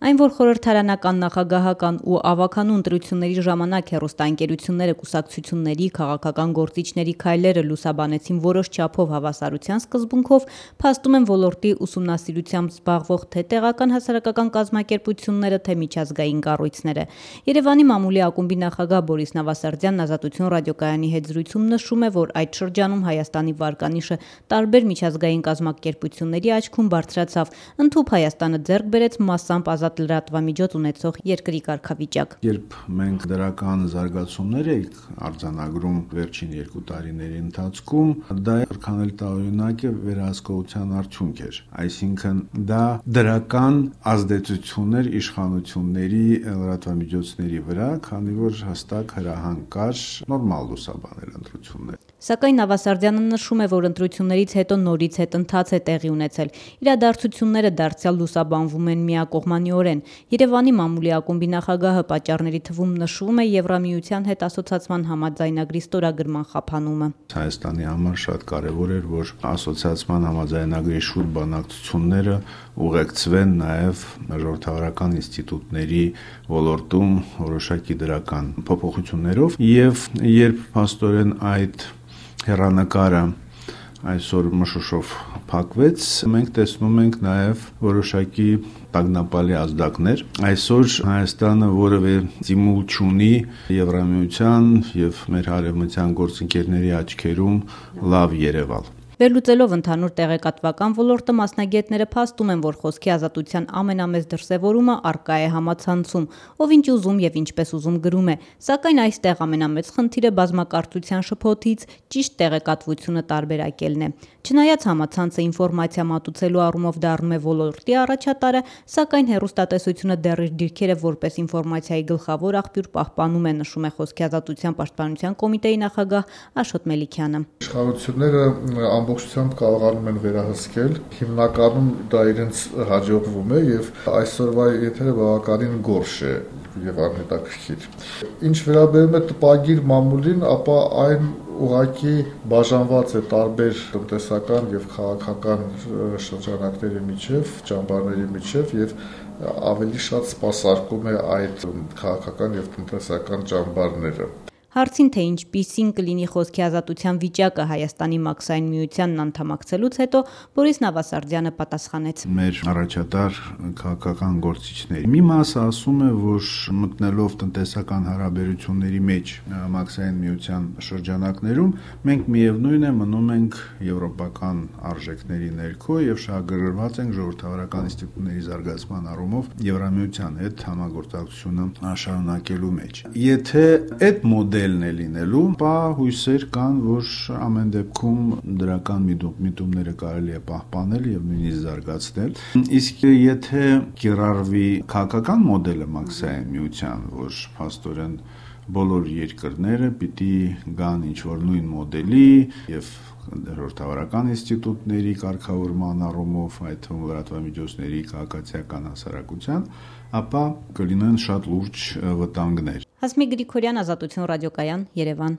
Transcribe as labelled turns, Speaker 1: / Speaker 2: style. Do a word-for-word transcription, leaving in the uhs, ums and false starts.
Speaker 1: Այն, որ խորհրդարանական, նախագահական ու ավագանու ընտրությունների ժամանակ հեռուստաընկերությունները կուսակցությունների, քաղաքական գործիչների քայլերը լուսաբանեցին որոշ չափով հավասարության սկզբունքով, փաստում են ոլորտի ուսումնասիրությամբ զբաղվող թե տեղական հասարակական կազմակերպությունները, թե միջազգային կառույցները։ Երևանի մամուլի ակումբի նախագահ Բորիս Նավասարդյանն Ազատություն ռադիոկայանի հետ զրույցում նշում է, որ այդ շրջանում Հայաստանի վարկանիշը տարբեր միջազգային կազմակերպությունների աչքում բարձրացավ, ընդհուպ Հայաստանը ձեռք բերեց մասամբ ազատ լրատվամիջոց ունեցող երկրի կարգավիճակ։
Speaker 2: Երբ մենք դրական զարգացումներ ենք արձանագրում վերջին երկու տարիների ընթացքում, դա որքան էլ տարօրինակ է, վերահսկողության արդյունք էր։ Այսինքն դա դրական ազդեցություն էր իշխանությունների լրատվամիջոցների վրա, քանի որ հստակ հրահանգ կար նորմալ լուսաբանել ընտրությունները։
Speaker 1: Սակայն Նավասարդյանը նշում է, որ ընտրություններից հետո նորից հետընթաց է տեղի ունեցել։ Իրադարձությունները դարձյալ լուսաբանվում են միակողմանիորեն։ Երևանի մամուլի ակումբի նախագահը պատճառների թվում նշվում է Եվրամիության հետ ասոցիացման համաձայնագրի ստորագրման խափանումը։
Speaker 2: Հայաստանի համար շատ կարևոր էր, որ ասոցիացման համաձայնագրի շուրջ բանակցությունները ուղեկցվեն նաև ժողովրդավարական ինստիտուտների ոլորտում որոշակի դրական փոփոխություններով, եւ երբ փաստորեն այդ հեռանկարը այսօր մշուշով փակվեց, մենք տեսնում ենք նաև որոշակի տագնապալի ազդակներ։ Այսօր Հայաստանը որևէ ստիմուլ չունի Եվրամիության եւ մեր հարևմտյան գործընկերների աչքերում լավ երևալ։
Speaker 1: Վերլուծելով ընդհանուր տեղեկատվական ոլորտը, մասնագետները փաստում են, որ խոսքի ազատության ամենամեծ դրսևորումը առկա է համացանցում, ով ինչ ուզում եւ ինչպես ուզում գրում է, սակայն այստեղ ամենամեծ խնդիրը բազմակարծության շփոթից ճիշտ տեղեկատվությունը տարբերակելն է։ Չնայած համացանցը ինֆորմացիա մատուցելու առումով դառնում է ոլորտի առաջատարը, սակայն հեռուստատեսությունը դեռ իր դիրքերը որպես ինֆորմացիայի գլխավոր աղբյուր պահպանում է, նշում է խոսքի ազատության պաշտպանության կոմիտեի նախագահ Աշոտ Մելիքյանը։
Speaker 3: Իշխանությունները ամբողջությամբ կարողանում են վերահսկել, հիմնականում դա իրենց հաջողվում է եւ այսօրվա եթերը բավականին գորշ է եւ անհետաքրքիր։ Ինչ վերաբերում է տպագիր մամուլին, ապա այն ուղղակի բաժանված է տարբեր տնտեսական եւ քաղաքական շրջանակների միջև, ճամբարների միջև եւ ավելի շատ սպասարկում է այդ քաղաքական եւ տնտեսական ճամբարները։
Speaker 1: Հարցին, թե ինչպիսին կլինի խոսքի ազատության վիճակը Հայաստանի մաքսային միությանն անդամակցելուց հետո, Բորիս Նավասարդյանը պատասխանեց.
Speaker 2: Մեր առաջատար քաղաքական գործիչների մի մասը ասում է, որ մտնելով տնտեսական հարաբերությունների մեջ մաքսային միության շրջանակներում, մենք միևնույն է մնում ենք եվրոպական արժեքների ներքո եւ շահագրգռված ենք ժողովրդավարական ինստիտուտների զարգացման առումով Եվրամիության հետ համագործակցությունը շարունակելու մեջ։ Եթե այդ մոդելն է լինելու, ապա հույսեր կան, որ ամեն դեպքում դրական միտումները կարելի է պահպանել եւ նույնիսկ զարգացնել։ Իսկ եթե կիրառվի քաղաքական մոդելը մաքսային միության, որ փաստորեն բոլոր երկրները պիտի գան ինչ-որ նույն մոդելի եւ ժողովրդավարական ինստիտուտների կարգավորման առումով, այդ թվում լրատվամիջոցների քաղաքացիական հասարակության, ապա կլինեն շատ լուրջ վտանգներ։
Speaker 1: Հասմիկ Գրիգորյան, Ազատություն ռադիոկայան, Երևան։